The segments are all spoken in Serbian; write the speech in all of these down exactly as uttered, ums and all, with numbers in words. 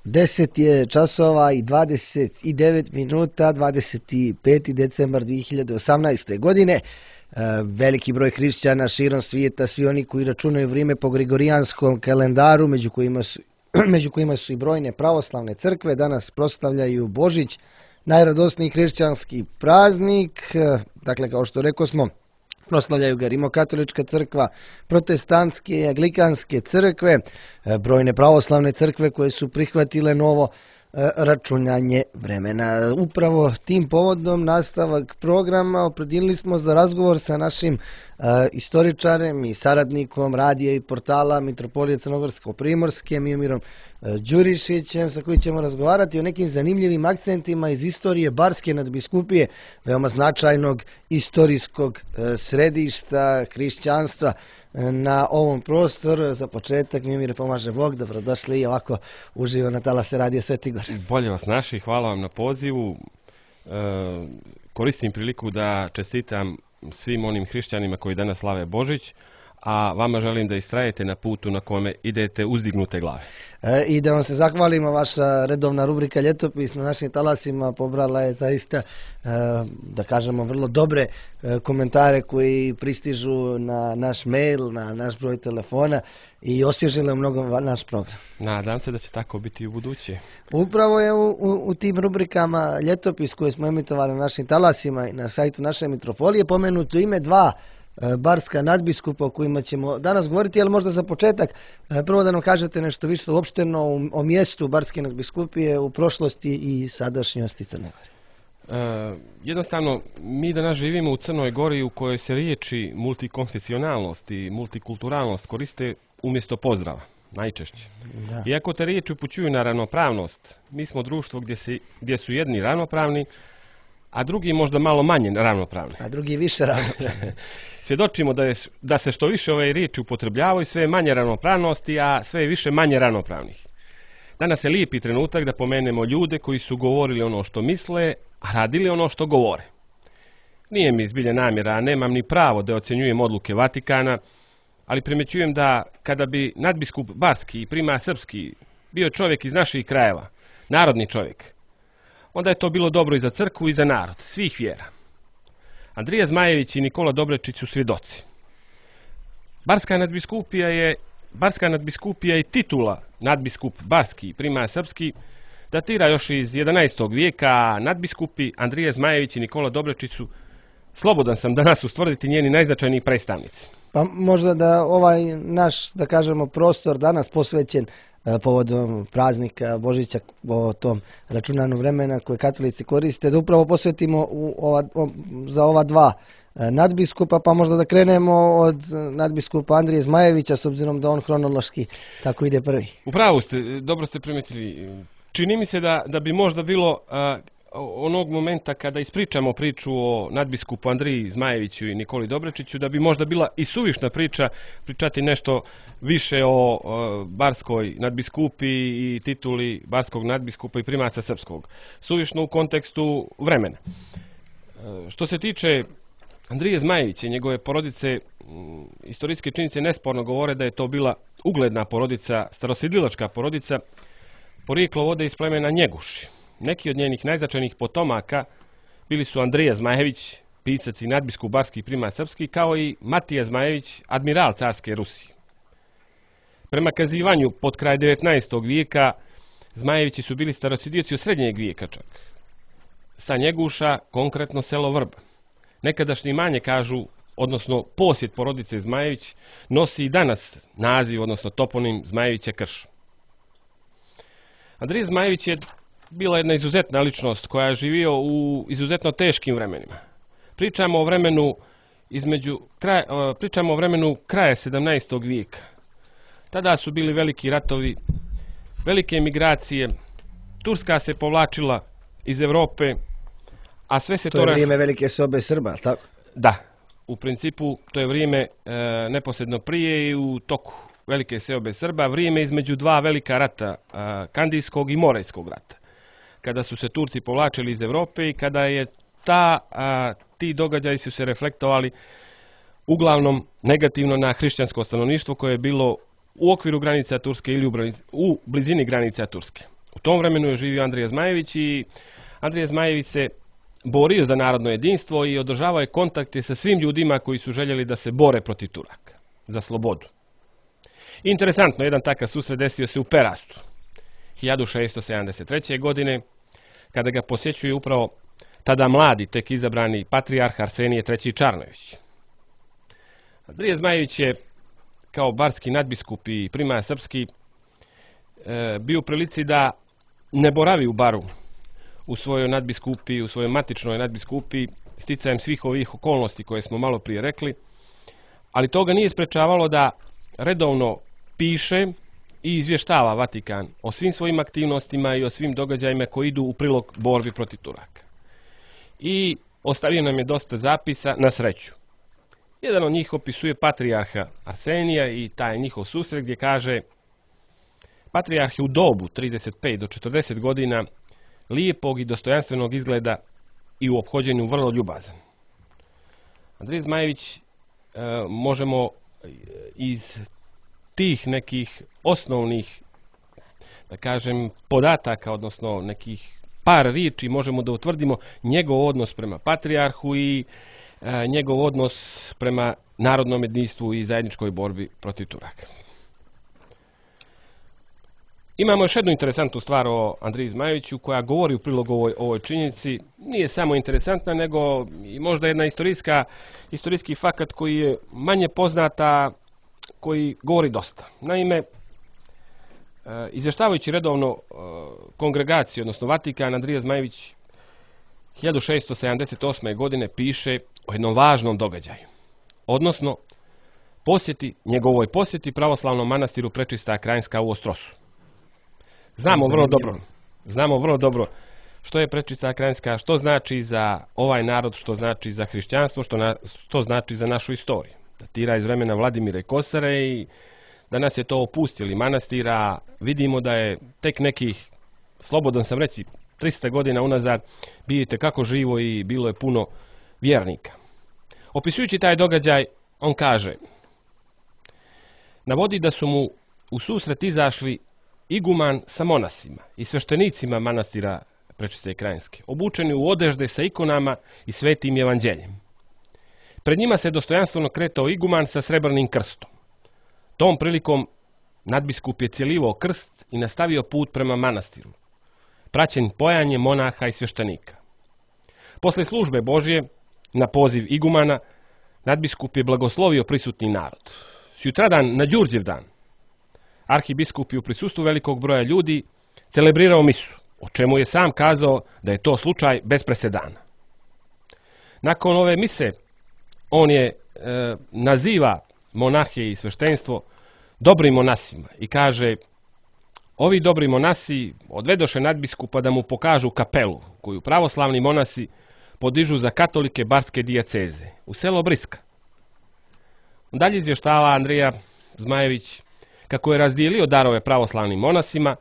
deset je časova i dvadeset devet minuta, dvadeset peti decembar dvije hiljade osamnaeste. godine. Veliki broj hrišćana širom svijeta, svi oni koji računaju vrijeme po gregorijanskom kalendaru, među kojima su, među kojima su i brojne pravoslavne crkve, danas proslavljaju Božić, najradosniji hrišćanski praznik. Dakle, kao što rekao smo, proslavljaju ga rimokatolička crkva, protestantske i anglikanske crkve, brojne pravoslavne crkve koje su prihvatile novo računanje vremena. Upravo tim povodom nastavak programa opredijelili smo za razgovor sa našim uh, istoričarem i saradnikom radija i portala Mitropolije Crnogorsko-Primorske, Miomirom uh, Đurišićem, sa kojim ćemo razgovarati o nekim zanimljivim akcentima iz istorije Barske nadbiskupije, veoma značajnog istorijskog uh, središta hrišćanstva na ovom prostoru. Za početak, Miomire, pomaže Bog, dobrodošli i ovako uživo na talase radija Sveti Gor. Bolje vas naši, hvala vam na pozivu. E, koristim priliku da čestitam svim onim hrišćanima koji danas slave Božić, a vama želim da istrajete na putu na kome idete uzdignute glave. E, I da vam se zahvalimo, vaša redovna rubrika Ljetopis na našim talasima pobrala je zaista, e, da kažemo, vrlo dobre e, komentare koji pristižu na naš mail, na naš broj telefona i osvježile mnogo naš program. Nadam se da će tako biti i u buduće. Upravo je u, u, u tim rubrikama Ljetopis koje smo emitovali na našim talasima i na sajtu naše mitropolije pomenuto ime dva barska nadbiskupa o kojima ćemo danas govoriti, ali možda za početak prvo da nam kažete nešto više uopšteno o mjestu Barske nadbiskupije u prošlosti i sadašnjosti Crne Gore. E, jednostavno, mi danas živimo u Crnoj Gori u kojoj se riječi multikonfesionalnost i multikulturalnost koriste umjesto pozdrava, najčešće. Da. Iako te riječi upućuju na ravnopravnost, mi smo društvo gdje, se, gdje su jedni ravnopravni, a drugi možda malo manje ravnopravni. A drugi više ravnopravni. Svjedočimo da, je, da se što više ove riječi upotrebljavaju, sve je manje ravnopravnosti, a sve je više manje ravnopravnih. Danas je lijepi trenutak da pomenemo ljude koji su govorili ono što misle, a radili ono što govore. Nije mi zbilja namjera, a nemam ni pravo da ocjenjujem odluke Vatikana, ali primjećujem da kada bi nadbiskup Barski i primas Srpski bio čovjek iz naših krajeva, narodni čovjek, onda je to bilo dobro i za crkvu i za narod, svih vjera. Andrija Zmajević i Nikola Dobrečić su svjedoci. Barska nadbiskupija je, Barska nadbiskupija i titula nadbiskup Barski i primas Srpski datira još iz jedanaestog vijeka, a nadbiskupi Andrija Zmajević i Nikola Dobrečić su, slobodan sam danas ustvrditi, njeni najznačajniji predstavnici. Pa možda da ovaj naš, da kažemo, prostor danas posvećen povodom praznika Božića, o tom računanju vremena koje katolici koriste, da upravo posvetimo u ova, o, za ova dva nadbiskupa, pa možda da krenemo od nadbiskupa Andrije Zmajevića, s obzirom da on hronološki tako ide prvi. Upravo ste, dobro ste primijetili. Čini mi se da, da bi možda bilo a, onog momenta kada ispričamo priču o nadbiskupu Andriji Zmajeviću i Nikoli Dobrečiću, da bi možda bila i suvišna priča pričati nešto više o, o barskoj nadbiskupi i tituli barskog nadbiskupa i primasa srpskog. Suvišno u kontekstu vremena. E, što se tiče Andrije Zmajevića i njegove porodice, m, istorijske činjenice nesporno govore da je to bila ugledna porodica, starosidlilačka porodica, porijeklo vode iz plemena Njeguši. Neki od njenih najznačajnijih potomaka bili su Andrija Zmajević, pisac i nadbiskup barski i primas srpski, kao i Matija Zmajević, admiral carske Rusije. Prema kazivanju pod kraj devetnaestog vijeka, Zmajevići su bili starosidioci od srednjeg vijeka čak. Sa Njeguša, konkretno selo Vrba. Nekadašnje imanje, kažu, odnosno posjed porodice Zmajević, nosi i danas naziv, odnosno toponim Zmajevića Krš. Andrija Zmajević je bila jedna izuzetna ličnost koja je živio u izuzetno teškim vremenima. Pričamo o vremenu između kraj, pričamo o vremenu kraja sedamnaestog vijeka. Tada su bili veliki ratovi, velike emigracije, Turska se povlačila iz Evrope, a sve se to... To je vrijeme velike sobe Srba, tako? Da, u principu to je vrijeme e, neposredno prije i u toku velike seobe Srba, vrijeme između dva velika rata, a, Kandijskog i Morejskog rata, kada su se Turci povlačili iz Evrope i kada je ta, a, ti događaji su se reflektovali uglavnom negativno na hrišćansko stanovništvo koje je bilo u okviru granica Turske ili u blizini granica Turske. U tom vremenu je živio Andrija Zmajević i Andrija Zmajević se borio za narodno jedinstvo i održavao je kontakte sa svim ljudima koji su željeli da se bore protiv Turaka, za slobodu. Interesantno, jedan takav susret desio se u Perastu, hiljadu šesto sedamdeset treće. godine, kada ga posjećuje upravo tada mladi, tek izabrani patrijarh Arsenije treći Čarnojević. Andrija Zmajević je, kao barski nadbiskup i primaja srpski, bio u prilici da ne boravi u Baru, u svojoj nadbiskupi, u svojoj matičnoj nadbiskupi, sticajem svih ovih okolnosti koje smo malo prije rekli, ali to ga nije sprečavalo da redovno piše i izvještava Vatikan o svim svojim aktivnostima i o svim događajima koji idu u prilog borbi protiv Turaka. I ostavio nam je dosta zapisa, na sreću. Jedan od njih opisuje patrijarha Arsenija i taj njihov susret gdje kaže: patrijarh je u dobu trideset pet do četrdeset godina, lijepog i dostojanstvenog izgleda i u ophođenju vrlo ljubazan. Andrija Zmajević e, možemo iz tih nekih osnovnih, da kažem, podataka, odnosno nekih par riječi, možemo da utvrdimo njegov odnos prema patrijarhu i e, njegov odnos prema narodnom jedinstvu i zajedničkoj borbi protiv Turaka. Imamo još jednu interesantnu stvar o Andriji Zmajeviću koja govori u prilog ovoj, ovoj činjenici. Nije samo interesantna, nego i možda jedna istorijska, istorijski fakat koji je manje poznata, koji govori dosta. Naime, izvještavajući redovno kongregaciju, odnosno Vatikan, Andrija Zmajević hiljadu šesto sedamdeset osme. godine piše o jednom važnom događaju. Odnosno, posjeti, njegovoj posjeti pravoslavnom manastiru Prečista Krajinska u Ostrosu. Znamo vrlo dobro, znamo vrlo dobro što je Prečista Krajinska, što znači za ovaj narod, što znači za hrišćanstvo, što, na, što znači za našu istoriju. Datira iz vremena Vladimira i Kosare i danas je to opustili manastira. Vidimo da je tek nekih, slobodan sam reći, trista godina unazad vidite kako živo i bilo je puno vjernika. Opisujući taj događaj, on kaže, navodi da su mu u susret izašli iguman sa monasima i sveštenicima manastira Prečiste Krajinske, obučeni u odežde sa ikonama i svetim evanđeljem. Pred njima se dostojanstveno kretao iguman sa srebrnim krstom. Tom prilikom nadbiskup je cjelivao krst i nastavio put prema manastiru, praćen pojanjem monaha i sveštenika. Posle službe Božje, na poziv igumana, nadbiskup je blagoslovio prisutni narod. Sutradan, na Đurđev dan, arhibiskup je u prisustvu velikog broja ljudi celebrirao misu, o čemu je sam kazao da je to slučaj bez presedana. Nakon ove mise, on je e, naziva monahe i sveštenstvo dobrim monasima i kaže, ovi dobri monasi odvedoše nadbiskupa da mu pokažu kapelu koju pravoslavni monasi podižu za katolike barske dijaceze u selo Briska. Dalje izvještava Andrija Zmajević kako je razdijelio darove pravoslavnim monasima,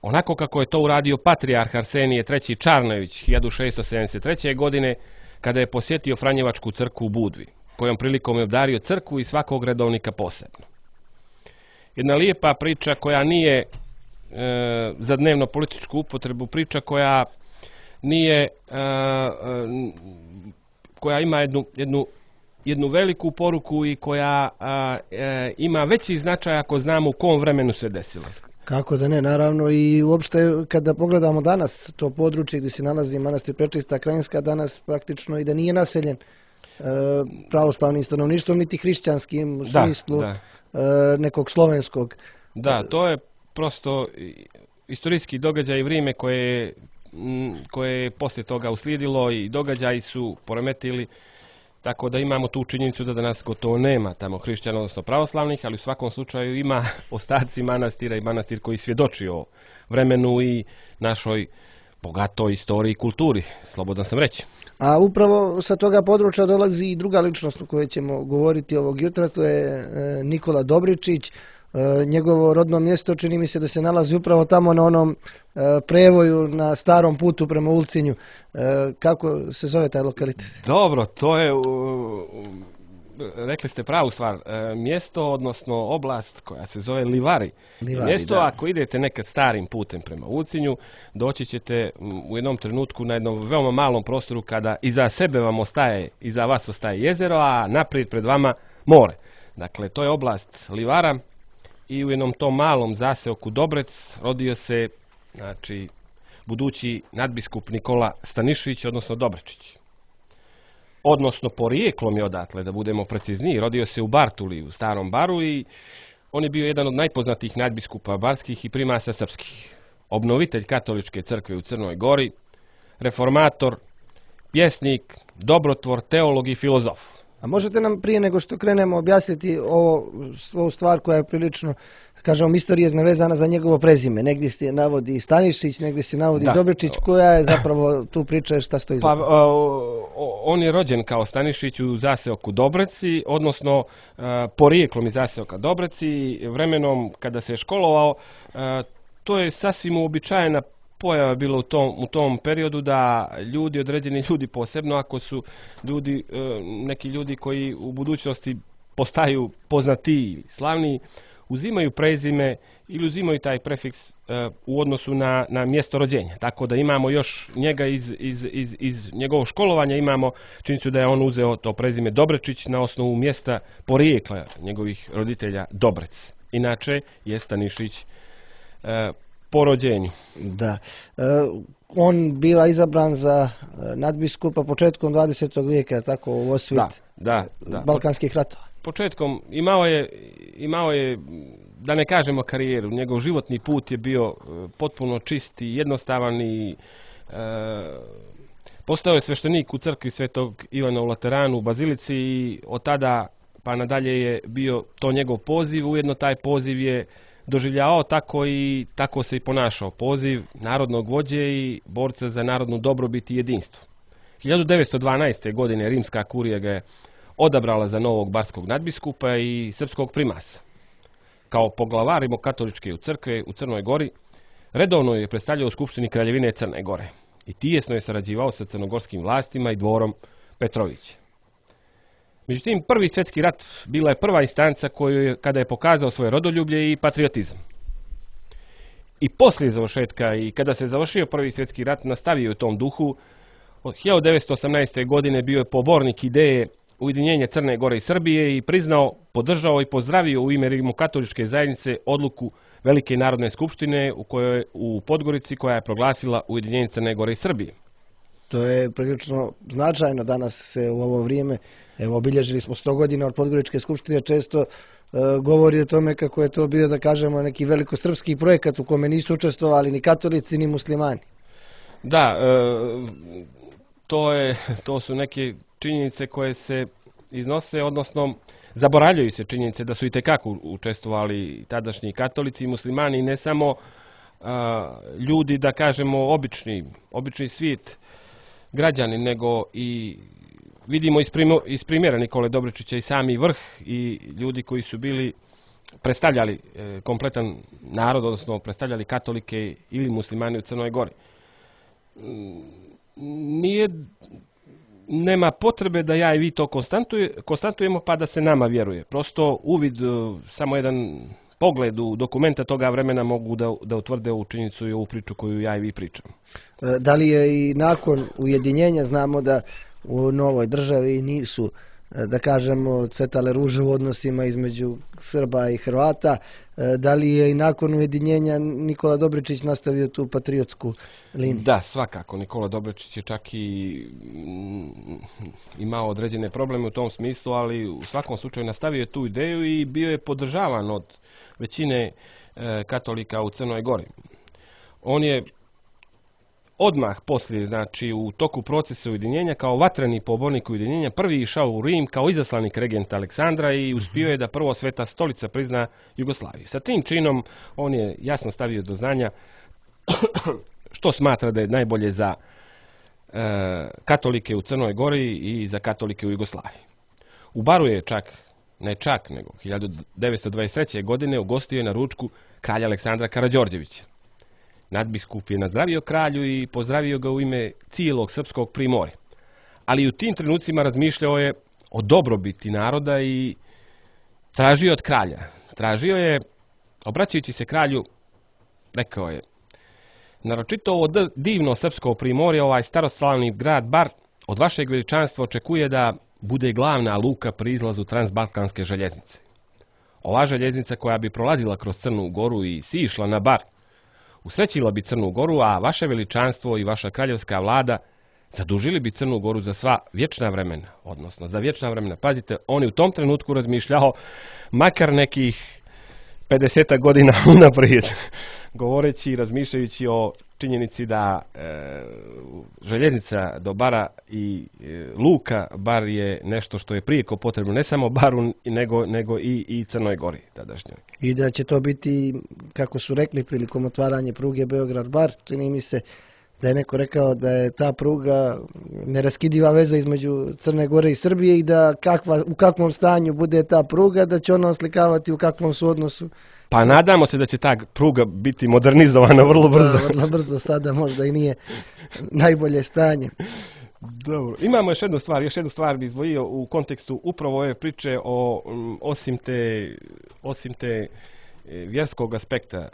onako kako je to uradio patrijarh Arsenije treći Čarnojević hiljadu šesto sedamdeset treće. godine, kada je posjetio Franjevačku crkvu u Budvi, kojom prilikom je obdario crkvu i svakog redovnika posebno. Jedna lijepa priča koja nije e, za dnevno političku upotrebu, priča koja nije, e, e, koja ima jednu, jednu, jednu veliku poruku i koja e, ima veći značaj ako znamo u kom vremenu se desilo. Kako da ne, naravno, i uopšte kada pogledamo danas to područje gdje se nalazi manastir Prečista Krajinska, danas praktično i da nije naseljen e, pravoslavnim stanovništvom, niti hrišćanskim u da, smislu da. E, nekog slovenskog. Da, to je prosto istorijski događaj i vrijeme koje, koje je poslije toga uslijedilo i događaji su poremetili, tako da imamo tu činjenicu da danas gotovo nema tamo hrišćana, odnosno pravoslavnih, ali u svakom slučaju ima ostaci manastira i manastir koji svjedoči o vremenu i našoj bogatoj istoriji i kulturi, slobodan sam reći. A upravo sa toga područja dolazi i druga ličnost o kojoj ćemo govoriti ovog jutra, to je Nikola Dobričić. Njegovo rodno mjesto čini mi se da se nalazi upravo tamo na onom prevoju na starom putu prema Ulcinju. Kako se zove taj lokalitet? Dobro, to je rekli ste pravu stvar, e, mjesto, odnosno oblast koja se zove Livari. Livari, mjesto, da. ako idete nekad starim putem prema Ucinju, doći ćete u jednom trenutku na jednom veoma malom prostoru kada iza sebe vam ostaje, iza vas ostaje jezero, a naprijed pred vama more. Dakle, to je oblast Livara i u jednom tom malom zaseoku Dobrec rodio se, znači, budući nadbiskup Nikola Stanišić, odnosno Dobrečić. Odnosno, porijeklom je odatle, da budemo precizniji, rodio se u Bartuli, u Starom Baru, i on je bio jedan od najpoznatijih nadbiskupa barskih i primasa srpskih. Obnovitelj katoličke crkve u Crnoj Gori, reformator, pjesnik, dobrotvor, teolog i filozof. A možete nam prije nego što krenemo objasniti ovo, ovu stvar koja je prilično, kažemo, misterijezna vezana za njegovo prezime. Negdje se navodi Stanišić, negdje se navodi Da. Dobrečić, koja je zapravo tu priča, šta stoji za Pa, to? o, on je rođen kao Stanišić u zaseoku Dobreci, odnosno a, porijeklom iz zaseoka Dobreci. Vremenom kada se je školovao, a, to je sasvim uobičajena pojava bilo u tom, u tom periodu da ljudi, određeni ljudi posebno, ako su ljudi, e, neki ljudi koji u budućnosti postaju poznatiji, slavniji, uzimaju prezime ili uzimaju taj prefiks e, u odnosu na, na mjesto rođenja. Tako da imamo još njega iz, iz, iz, iz njegovog školovanja, imamo činjenicu da je on uzeo to prezime Dobrečić na osnovu mjesta porijekla njegovih roditelja Dobrec. Inače je Stanišić e, po rođenju. Da. E, on biva izabran za nadbiskupa početkom dvadesetog vijeka, tako u osvit Da, da, da. balkanskih ratova. Početkom imao je, imao je, da ne kažemo karijeru, njegov životni put je bio e, potpuno čist i jednostavan i e, postao je sveštenik u crkvi Svetog Ivana u Lateranu u Bazilici i od tada pa nadalje je bio to njegov poziv, ujedno taj poziv je doživljavao tako i tako se i ponašao. Poziv narodnog vođe i borca za narodnu dobrobit i jedinstvo. hiljadu devetsto dvanaeste. godine rimska kurija ga je odabrala za novog barskog nadbiskupa i srpskog primasa. Kao poglavar rimokatoličke u crkve u Crnoj Gori, redovno je predstavljao u Skupštini Kraljevine Crne Gore i tijesno je sarađivao sa crnogorskim vlastima i dvorom Petrovića. Međutim, prvi svjetski rat bila je prva instanca koju je, kada je pokazao svoje rodoljublje i patriotizam. I poslije završetka i kada se završio prvi svjetski rat, nastavio u tom duhu. Od hiljadu devetsto osamnaeste. godine bio je pobornik ideje ujedinjenja Crne Gore i Srbije i priznao, podržao i pozdravio u ime rimokatoličke zajednice odluku Velike narodne skupštine u kojoj u Podgorici koja je proglasila ujedinjenje Crne Gore i Srbije. To je prilično značajno danas se u ovo vrijeme, evo obilježili smo sto godina od Podgoričke skupštine, često e, govori o tome kako je to bio, da kažemo, neki velikosrpski projekat u kome nisu učestvovali ni katolici ni muslimani. Da, e, to, je, to su neke činjenice koje se iznose, odnosno zaboravljaju se činjenice da su itekako učestvovali tadašnji katolici i muslimani, ne samo a, ljudi, da kažemo, obični, obični svijet građani, nego i vidimo iz, primo, iz primjera Nikole Dobrečića i sami vrh i ljudi koji su bili predstavljali e, kompletan narod, odnosno predstavljali katolike ili muslimani u Crnoj Gori. Nije, nema potrebe da ja i vi to konstantuje, konstantujemo pa da se nama vjeruje. Prosto uvid, samo jedan pogled u dokumenta toga vremena mogu da, da utvrde ovu činjenicu i ovu priču koju ja i vi pričam. Da li je i nakon ujedinjenja, znamo da u novoj državi nisu, da kažemo, cvetale ruže u odnosima između Srba i Hrvata, da li je i nakon ujedinjenja Nikola Dobrečić nastavio tu patriotsku liniju? Da, svakako. Nikola Dobrečić je čak i imao određene probleme u tom smislu, ali u svakom slučaju nastavio tu ideju i bio je podržavan od većine e, katolika u Crnoj Gori. On je odmah poslije, znači u toku procesa ujedinjenja, kao vatreni pobornik ujedinjenja, prvi išao u Rim kao izaslanik regenta Aleksandra i uspio je da prvo Sveta stolica prizna Jugoslaviju. Sa tim činom on je jasno stavio do znanja što smatra da je najbolje za e, katolike u Crnoj Gori i za katolike u Jugoslaviji. U Baru je čak, ne čak, nego hiljadu devetsto dvadeset treće. godine ugostio je na ručku kralja Aleksandra Karađorđevića. Nadbiskup je nazdravio kralju i pozdravio ga u ime cijelog srpskog primorja. Ali u tim trenucima razmišljao je o dobrobiti naroda i tražio je od kralja. Tražio je, obraćajući se kralju, rekao je: naročito ovo divno srpsko primorje, ovaj staroslavni grad Bar, od vašeg veličanstva očekuje da bude glavna luka pri izlazu transbalkanske željeznice. Ova željeznica koja bi prolazila kroz Crnu Goru i sišla na Bar, usrećila bi Crnu Goru, a vaše veličanstvo i vaša kraljevska vlada zadužili bi Crnu Goru za sva vječna vremena, odnosno za vječna vremena. Pazite, on je u tom trenutku razmišljao makar nekih pedeset godina unaprijed, govoreći i razmišljajući o činjenici da e, željeznica do Bara i e, luka Bar je nešto što je prijeko potrebno ne samo Baru, nego, nego i, i Crnoj Gori tadašnjoj. I da će to biti, kako su rekli prilikom otvaranja pruge Beograd-Bar, čini mi se da je neko rekao da je ta pruga neraskidiva veza između Crne Gore i Srbije i da kakva, u kakvom stanju bude ta pruga, da će ona oslikavati u kakvom su odnosu. Pa nadamo se da će ta pruga biti modernizovana vrlo brzo. Da, vrlo brzo, sada možda i nije najbolje stanje. Dobro. Imamo još jednu stvar, još jednu stvar bi izdvojio u kontekstu upravo ove priče o, osim te, osim te vjerskog aspekta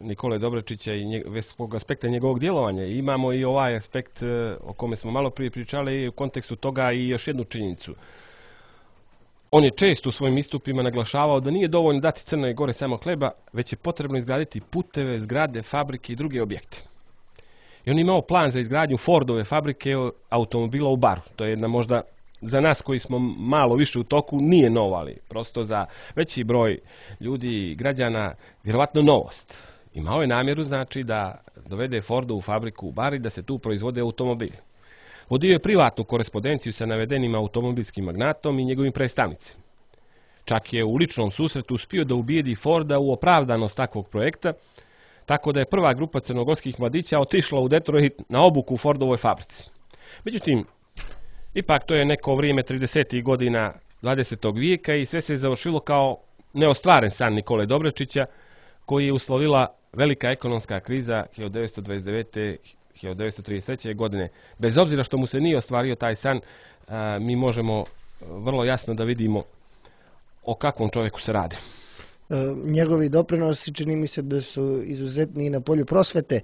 Nikole Dobrečića i nje, vjerskog aspekta njegovog djelovanja. Imamo i ovaj aspekt o kome smo malo prije pričali u kontekstu toga i još jednu činjenicu. On je često u svojim istupima naglašavao da nije dovoljno dati Crnoj Gore samo hleba, već je potrebno izgraditi puteve, zgrade, fabrike i druge objekte. I on je imao plan za izgradnju Fordove fabrike automobila u Baru. To je jedna možda za nas koji smo malo više u toku nije novo, ali prosto za veći broj ljudi i građana vjerovatno novost. Imao je namjeru znači da dovede Fordovu fabriku u Bar i da se tu proizvode automobili. Vodio je privatnu korespondenciju sa navedenim automobilskim magnatom i njegovim predstavnicima. Čak je u ličnom susretu uspio da ubijedi Forda u opravdanost takvog projekta, tako da je prva grupa crnogorskih mladića otišla u Detroit na obuku u Fordovoj fabrici. Međutim, ipak to je neko vrijeme tridesetih godina dvadesetog vijeka i sve se je završilo kao neostvaren san Nikole Dobrečića, koji je uslovila velika ekonomska kriza hiljadu devetsto dvadeset devete. hiljadu devetsto trideset treće. godine. Bez obzira što mu se nije ostvario taj san, a, mi možemo vrlo jasno da vidimo o kakvom čovjeku se radi. E, njegovi doprinosi čini mi se da su izuzetni i na polju prosvete,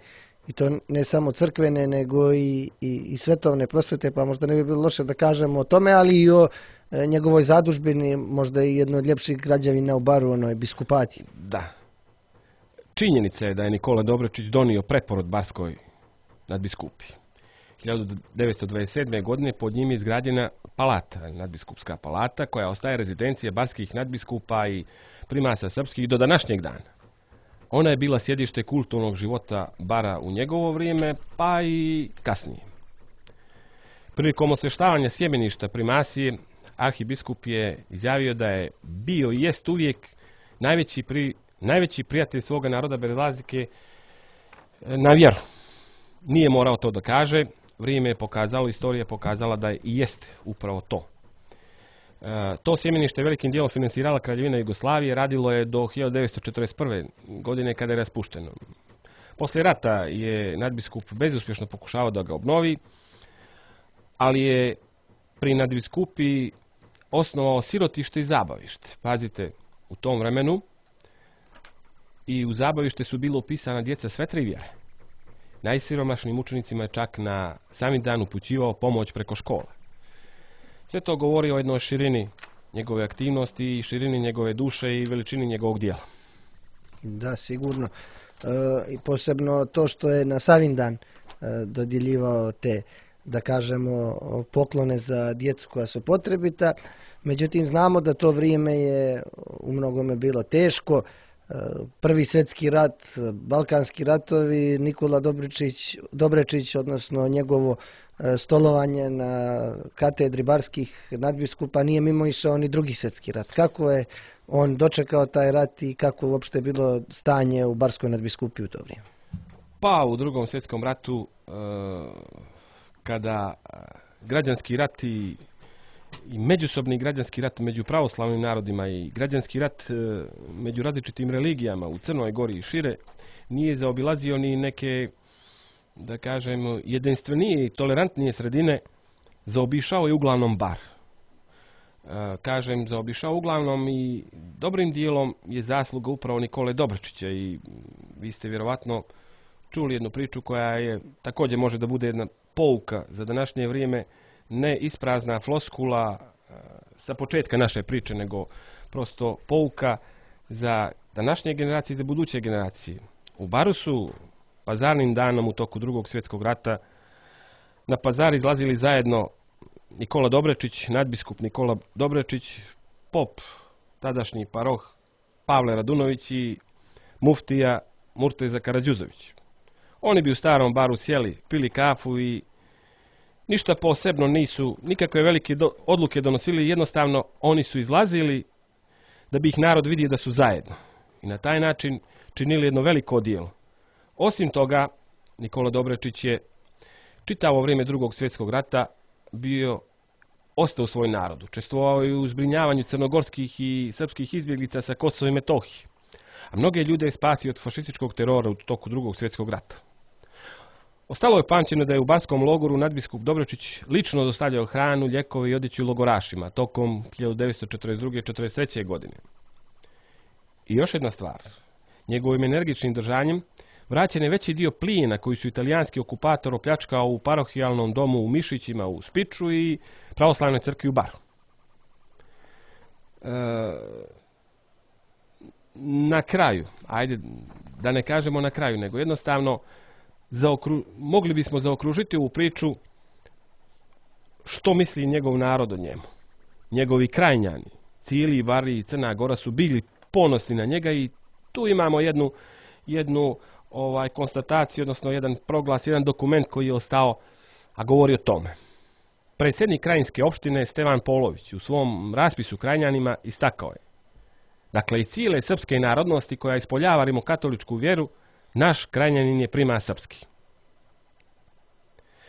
i to ne samo crkvene, nego i, i, i svetovne prosvete, pa možda ne bi bilo loše da kažemo o tome, ali i o e, njegovoj zadužbini, možda i jedno od ljepših građevina u Baru, onoj biskupati. Da. Činjenica je da je Nikola Dobrečić donio preporod barskoj nadbiskupi. hiljadu devetsto dvadeset sedme. godine pod njim je izgrađena palata, nadbiskupska palata, koja ostaje rezidencija barskih nadbiskupa i primasa srpskih do današnjeg dana. Ona je bila sjedište kulturnog života Bara u njegovo vrijeme, pa i kasnije. Prilikom osvještavanja sjemeništa primasije, arhibiskup je izjavio da je bio i jest uvijek najveći, pri, najveći prijatelj svoga naroda bez razlike na vjeru. Nije morao to da kaže, vrijeme je pokazalo, istorija je pokazala da je i jeste upravo to. E, to sjemenište velikim dijelom finansirala Kraljevina Jugoslavije, radilo je do hiljadu devetsto četrdeset prve. godine kada je raspušteno. Poslije rata je nadbiskup bezuspješno pokušavao da ga obnovi, ali je pri nadbiskupi osnovao sirotište i zabavište. Pazite, u tom vremenu i u zabavište su bilo upisana djeca sve tri vjere. Najsiromašnijim učenicima je čak na sami dan upućivao pomoć preko škola. Sve to govori o jednoj širini njegove aktivnosti i širini njegove duše i veličini njegovog dijela. Da, sigurno. E, i posebno to što je na Savindan e, dodjeljivao te, da kažemo, poklone za djecu koja su potrebita. Međutim, znamo da to vrijeme je u mnogome bilo teško. Prvi svjetski rat, balkanski ratovi, Nikola Dobrečić, Dobrečić, odnosno njegovo stolovanje na katedri barskih nadbiskupa nije mimo išao ni drugi svjetski rat. Kako je on dočekao taj rat i kako uopšte bilo stanje u barskoj nadbiskupi u to vrijeme? Pa u drugom svjetskom ratu, kada građanski rat i i međusobni građanski rat među pravoslavnim narodima i građanski rat među različitim religijama u Crnoj Gori i šire nije zaobilazio ni neke, da kažem, jedinstvenije i tolerantnije sredine, zaobišao je uglavnom Bar. kažem, zaobišao. Uglavnom i dobrim dijelom je zasluga upravo Nikole Dobrečića i vi ste vjerovatno čuli jednu priču koja je također može da bude jedna pouka za današnje vrijeme, ne isprazna floskula sa početka naše priče, nego prosto pouka za današnje generacije i za buduće generacije. U Baru su pazarnim danom u toku drugog svjetskog rata na pazar izlazili zajedno Nikola Dobrečić, nadbiskup Nikola Dobrečić, pop, tadašnji paroh Pavle Radunović i muftija Murteza Karađuzović. Oni bi u starom baru sjeli, pili kafu i ništa posebno nisu, nikakve velike do, odluke donosili, jednostavno oni su izlazili da bi ih narod vidio da su zajedno. I na taj način činili jedno veliko djelo. Osim toga, Nikola Dobrečić je čitavo vrijeme drugog svjetskog rata bio ostao u svoj narod. Učestvovao je u zbrinjavanju crnogorskih i srpskih izbjeglica sa Kosova i Metohije. A mnoge ljude je spasio od fašističkog terora u toku drugog svjetskog rata. Ostalo je pamćeno da je u barskom logoru nadbiskup Dobrečić lično dostavljao hranu, lijekove i odjeću logorašima tokom hiljadu devetsto četrdeset druge. i četrdeset treće. godine. I još jedna stvar. Njegovim energičnim držanjem vraćen je veći dio plijena koji su italijanski okupator opljačkao u parohijalnom domu u Mišićima u Spiču i pravoslavnoj crkvi u Baru. E, na kraju, ajde da ne kažemo na kraju, nego jednostavno zaokru, mogli bismo zaokružiti ovu priču što misli njegov narod o njemu. Njegovi krajnjani, Cili, Bari i Crna Gora su bili ponosni na njega i tu imamo jednu, jednu ovaj, konstataciju, odnosno jedan proglas, jedan dokument koji je ostao, a govori o tome. Predsjednik krajinske opštine Stevan Polović u svom raspisu krajnjanima istakao je: dakle, i cijele srpske narodnosti koja ispoljava rimokatoličku vjeru, naš krajnjanin je prima srpski.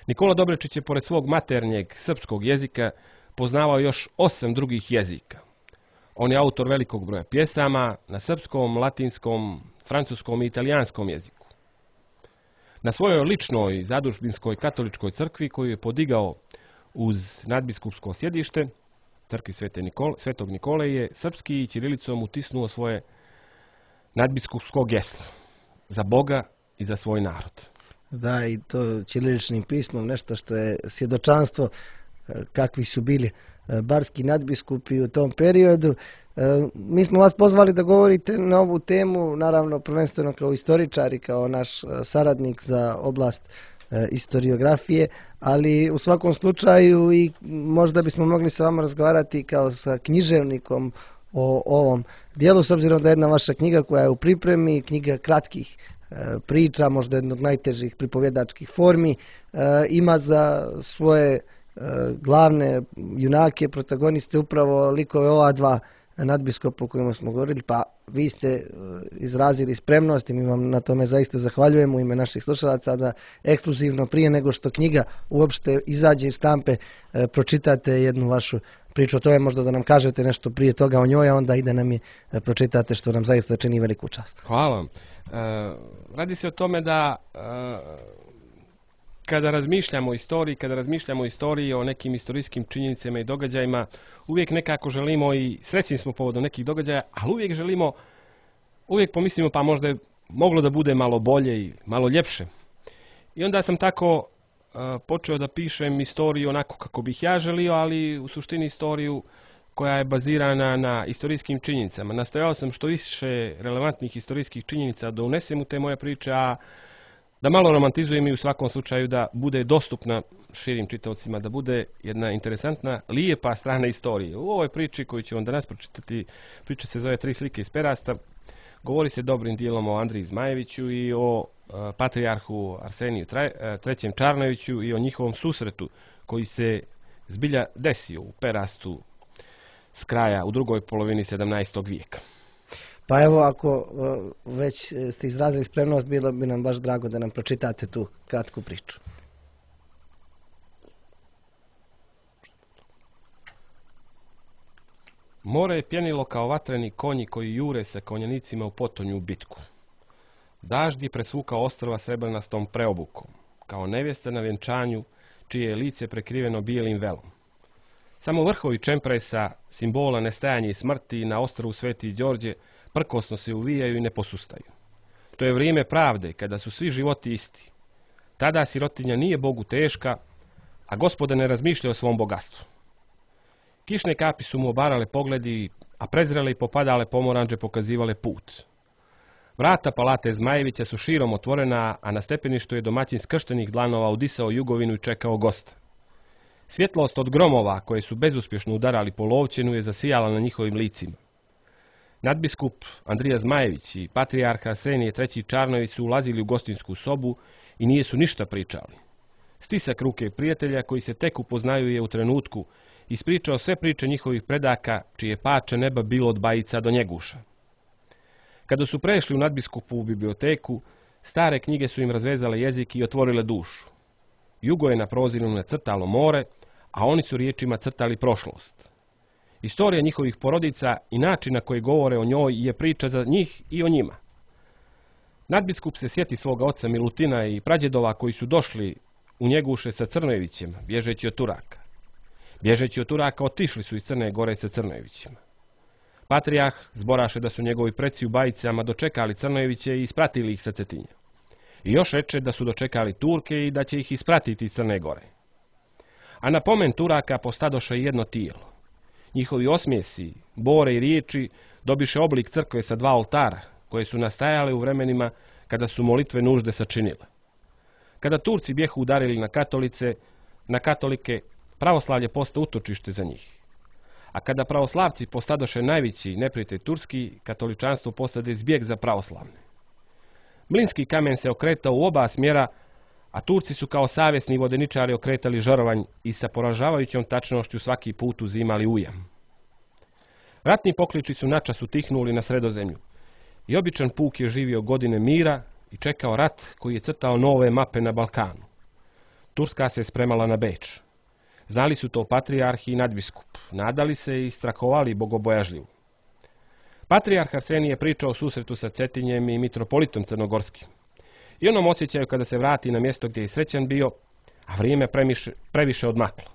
Nikola Dobrečić je pored svog maternjeg srpskog jezika poznavao još osam drugih jezika. On je autor velikog broja pjesama na srpskom, latinskom, francuskom i italijanskom jeziku. Na svojoj ličnoj zadužbinskoj katoličkoj crkvi koju je podigao uz nadbiskupsko sjedište, crkvi Svete Nikole, Svetog Nikole, je srpski i ćirilicom utisnuo svoje nadbiskupsko geslo za Boga i za svoj narod. Da, i to ćiriličnim pismom, nešto što je svjedočanstvo kakvi su bili barski nadbiskupi u tom periodu. Mi smo vas pozvali da govorite na ovu temu, naravno prvenstveno kao istoričar i kao naš saradnik za oblast historiografije, ali u svakom slučaju i možda bismo mogli sa vama razgovarati kao sa književnikom o ovom dijelu, s obzirom da je jedna vaša knjiga koja je u pripremi, knjiga kratkih priča, možda jedna od najtežih pripovjedačkih formi, ima za svoje glavne junake, protagoniste upravo likove ova dva nadbiskupa o kojima smo govorili, pa vi ste izrazili spremnost i mi vam na tome zaista zahvaljujemo u ime naših slušalaca da ekskluzivno prije nego što knjiga uopšte izađe iz štampe pročitate jednu vašu priču o tome, možda da nam kažete nešto prije toga o njoj, a onda i da nam je pročitate, što nam zaista čini veliku čast. Hvala vam. E, radi se o tome da e, kada razmišljamo o istoriji, kada razmišljamo o istoriji, o nekim istorijskim činjenicama i događajima, uvijek nekako želimo i srećni smo povodom nekih događaja, ali uvijek želimo, uvijek pomislimo pa možda je moglo da bude malo bolje i malo ljepše. I onda sam tako uh, počeo da pišem istoriju onako kako bih ja želio, ali u suštini istoriju koja je bazirana na istorijskim činjenicama. Nastojao sam što više relevantnih istorijskih činjenica da unesem u te moje priče, a da malo romantizujem i u svakom slučaju da bude dostupna širim čitaocima, da bude jedna interesantna, lijepa strana istorije. U ovoj priči koju ću vam danas pročitati, priča se zove Tri slike iz perasta, govori se dobrim dijelom o Andriji Zmajeviću i o uh, patrijarhu Arseniju trećem Čarnojeviću i o njihovom susretu koji se zbilja desio u Perastu s kraja u drugoj polovini sedamnaestog vijeka. Pa evo, ako već ste izrazili spremnost, bilo bi nam baš drago da nam pročitate tu kratku priču. More je pjenilo kao vatreni konji koji jure sa konjanicima u potonju u bitku. Dažd je presvukao ostrva srebrnastom preobukom, kao nevjesta na vjenčanju, čije je lice prekriveno bijelim velom. Samo vrhovi čempresa, simbola nestajanja i smrti na ostrvu Sveti Đorđe, prkosno se uvijaju i ne posustaju. To je vrijeme pravde, kada su svi životi isti. Tada sirotinja nije Bogu teška, a Gospoda ne razmišlja o svom bogatstvu. Kišne kapi su mu obarale pogledi, a prezrele i popadale pomoranđe pokazivale put. Vrata palate Zmajevića su širom otvorena, a na stepeništu je domaćin skrštenih dlanova udisao jugovinu i čekao gosta. Svjetlost od gromova, koje su bezuspješno udarali po Lovćenu, je zasijala na njihovim licima. Nadbiskup Andrija Zmajević i patrijarh Arsenije treći Čarnojević su ulazili u gostinsku sobu i nije su ništa pričali. Stisak ruke prijatelja koji se tek upoznaju je u trenutku ispričao sve priče njihovih predaka, čije pače neba bilo od Bajica do Njeguša. Kada su prešli u nadbiskupu u biblioteku, stare knjige su im razvezale jezik i otvorile dušu. Jugo je na proziru nacrtalo more, a oni su riječima crtali prošlost. Istorija njihovih porodica i način na koji govore o njoj je priča za njih i o njima. Nadbiskup se sjeti svoga oca Milutina i prađedova koji su došli u Njeguše sa Crnojevićem, bježeći od Turaka. Bježeći od Turaka otišli su iz Crne Gore sa Crnojevićima. Patrijarh zboraše da su njegovi preci u Bajicama dočekali Crnojeviće i ispratili ih sa Cetinja. I još reče da su dočekali Turke i da će ih ispratiti iz Crne Gore. A na pomen Turaka postadoše jedno tijelo. Njihovi osmijesi, bore i riječi dobiše oblik crkve sa dva oltara, koje su nastajale u vremenima kada su molitve nužde sačinile. Kada Turci bjehu udarili na katolice, na katolike, pravoslavlje posta utočište za njih. A kada pravoslavci postadoše najveći neprijatelj turski, katoličanstvo postade zbjeg za pravoslavne. Mlinski kamen se okretao u oba smjera, a Turci su kao savjesni vodeničari okretali žarovanj i sa poražavajućom tačnošću svaki put uzimali ujam. Ratni pokliči su načas utihnuli na Sredozemlju i običan puk je živio godine mira i čekao rat koji je crtao nove mape na Balkanu. Turska se spremala na Beč. Znali su to patrijarh i nadbiskup, nadali se i strahovali bogobojažljivo. Patrijarh Arsenije je pričao o susretu sa Cetinjem i mitropolitom Crnogorskim. I onom osjećaju kada se vrati na mjesto gdje je srećan bio, a vrijeme premiše, previše odmaklo.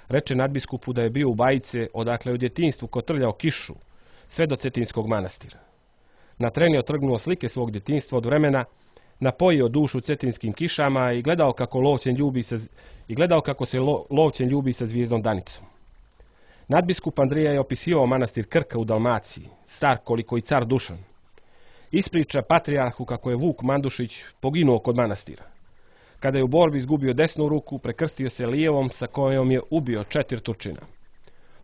Reče nadbiskupu da je bio u Bajice, odakle u djetinjstvu kotrljao kišu, sve do Cetinskog manastira. Na tren je otrgnuo slike svog djetinjstva od vremena, napojio dušu cetinskim kišama i gledao kako Lovćen ljubi sa, i gledao kako se lo, Lovćen ljubi sa zvijezdom Danicom. Nadbiskup Andrija je opisivao manastir Krka u Dalmaciji, star koliko i car Dušan. Ispriča patrijarhu kako je Vuk Mandušić poginuo kod manastira. Kada je u borbi izgubio desnu ruku, prekrstio se lijevom sa kojom je ubio četiri Turčina.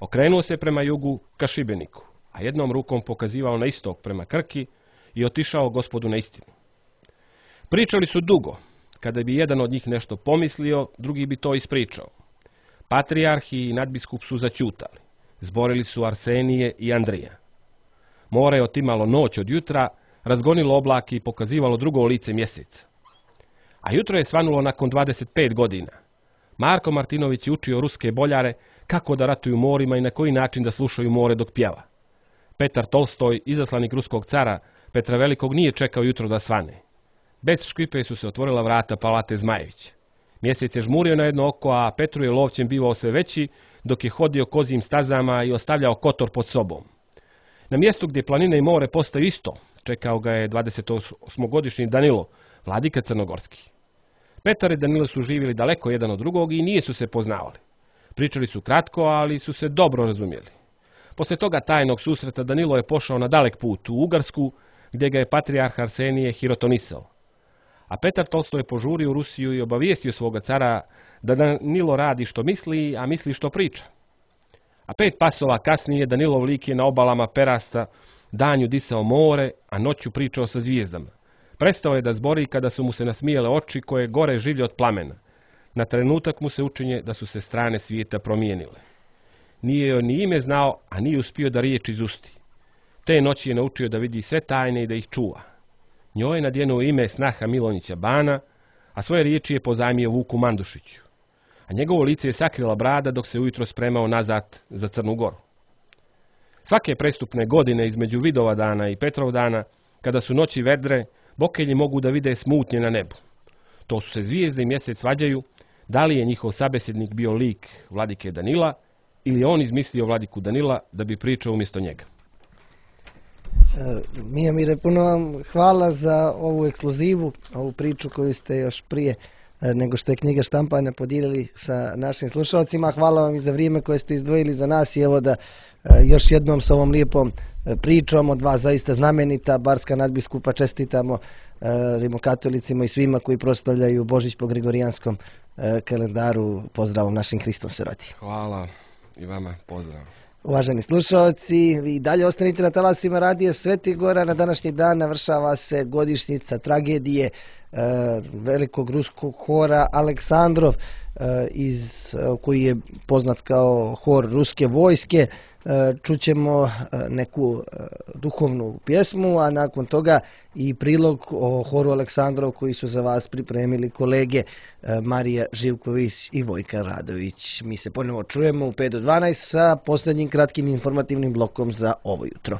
Okrenuo se prema jugu ka Šibeniku, a jednom rukom pokazivao na istok prema Krki i otišao Gospodu na istinu. Pričali su dugo. Kada bi jedan od njih nešto pomislio, drugi bi to ispričao. Patrijarh i nadbiskup su zaćutali. Zborili su Arsenije i Andrija. More je otimalo noć od jutra, razgonilo oblake i pokazivalo drugo lice mjeseca. A jutro je svanulo nakon dvadeset pet godina. Marko Martinović je učio ruske boljare kako da ratuju morima i na koji način da slušaju more dok pjeva. Petar Tolstoj, izaslanik ruskog cara Petra Velikog, nije čekao jutro da svane. Bez škripe su se otvorila vrata palate Zmajevića. Mjesec je žmurio na jedno oko, a Petru je Lovćen bivao sve veći, dok je hodio kozijim stazama i ostavljao kotor pod sobom. Na mjestu gdje planine i more postaju isto, čekao ga je dvadesetosmogodišnji Danilo, vladika Crnogorski. Petar i Danilo su živjeli daleko jedan od drugog i nije su se poznavali. Pričali su kratko, ali su se dobro razumjeli. Poslije toga tajnog susreta Danilo je pošao na dalek put u Ugarsku, gdje ga je patrijarh Arsenije hirotonisao. A Petar Tolstoj je požurio u Rusiju i obavijestio svoga cara da Danilo radi što misli, a misli što priča. A pet pasova kasnije Danilov lik je na obalama Perasta danju disao more, a noću pričao sa zvijezdama. Prestao je da zbori kada su mu se nasmijale oči koje gore življe od plamena. Na trenutak mu se učinje da su se strane svijeta promijenile. Nije joj ni ime znao, a nije uspio da riječ izusti. Te noći je naučio da vidi sve tajne i da ih čuva. Njoj je nadjenuo ime snaha Milonića Bana, a svoje riječi je pozajmio Vuku Mandušiću. A njegovo lice je sakrila brada dok se ujutro spremao nazad za Crnu Goru. Svake prestupne godine između Vidova dana i Petrov dana, kada su noći vedre, bokelji mogu da vide smutnje na nebu. To su se zvijezde i mjesec svađaju, da li je njihov sabesjednik bio lik vladike Danila ili je on izmislio vladiku Danila da bi pričao umjesto njega? Mijomire, puno vam hvala za ovu ekskluzivu, ovu priču koju ste još prije nego što je knjiga štampana podijelili sa našim slušalcima. Hvala vam i za vrijeme koje ste izdvojili za nas i evo da još jednom sa ovom lijepom pričom od dva zaista znamenita barska nadbiskupa čestitamo rimokatolicima i svima koji proslavljaju Božić po Gregorijanskom kalendaru. Pozdravom našim Hristom se rodi. Hvala i vama, pozdrav. Uvaženi slušalci, vi dalje ostanite na talasima radija Sveti Gora. Na današnji dan navršava se godišnjica tragedije e, velikog ruskog hora Aleksandrov, e, iz, koji je poznat kao hor ruske vojske. E, čućemo neku e, duhovnu pjesmu, a nakon toga i prilog o horu Aleksandrov koji su za vas pripremili kolege e, Marija Živković i Vojka Radović. Mi se ponovo čujemo u pet do dvanaest sa posljednjim kratkim informativnim blokom za ovo jutro.